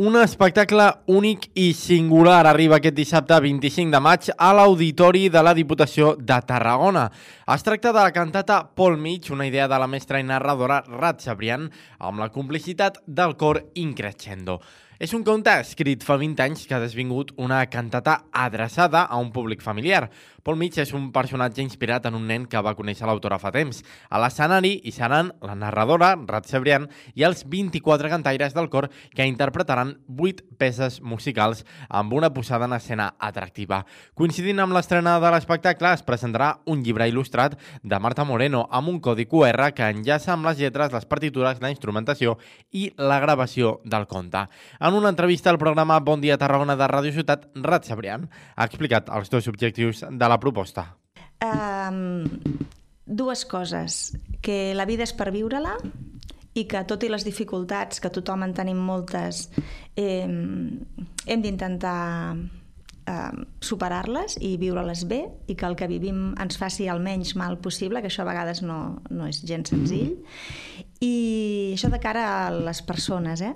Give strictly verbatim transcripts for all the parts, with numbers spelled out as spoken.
Un espectacle únic i singular arriba aquest dissabte vint-i-cinc de maig a l'Auditori de la Diputació de Tarragona. Es tracta de la cantata Pol Mig, una idea de la mestra i narradora Rat Cebrián, amb la complicitat del cor Increscendo. És un conte escrit fa vint anys que ha desvingut una cantata adreçada a un públic familiar. Pol Mig és un personatge inspirat en un nen que va conèixer l'autora fa temps. A l'escenari hi seran la narradora, Rat Cebrián, i els vint-i-quatre cantaires del cor que interpretaran vuit peces musicals amb una posada en escena atractiva. Coincidint amb l'estrena de l'espectacle, es presentarà un llibre il·lustrat de Marta Moreno amb un codi cu erre que enllaça amb les lletres, les partitures, la instrumentació i la gravació del conte. En una entrevista al programa Bon Dia Tarragona de Ràdio Ciutat, Rat Cebrián ha explicat els dos objectius de la proposta. Um, dues coses. Que la vida és per viure-la i que, tot i les dificultats, que tothom en tenim moltes, eh, hem d'intentar eh, superar-les i viure-les bé, i que el que vivim ens faci el menys mal possible, que això a vegades no, no és gens senzill. I això de cara a les persones, eh?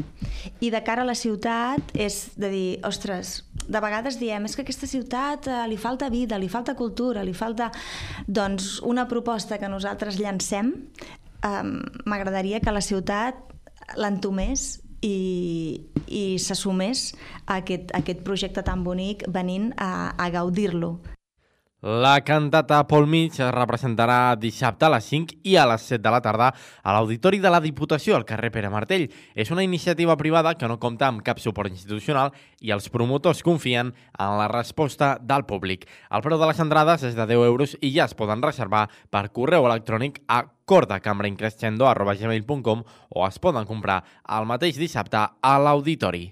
I de cara a la ciutat és de dir, ostres, de vegades diem, és que a aquesta ciutat eh, li falta vida, li falta cultura, li falta... Doncs una proposta que nosaltres llancem, eh, m'agradaria que la ciutat l'entomés i, i s'assumés a aquest, a aquest projecte tan bonic venint a, a gaudir-lo. La cantata Pol Mig es representarà dissabte a les cinc i a les set de la tarda a l'Auditori de la Diputació, al carrer Pere Martell. És una iniciativa privada que no compta amb cap suport institucional i els promotors confien en la resposta del públic. El preu de les entrades és de deu euros i ja es poden reservar per correu electrònic a cordacambraincrescendo arroba gmail punt com o es poden comprar el mateix dissabte a l'Auditori.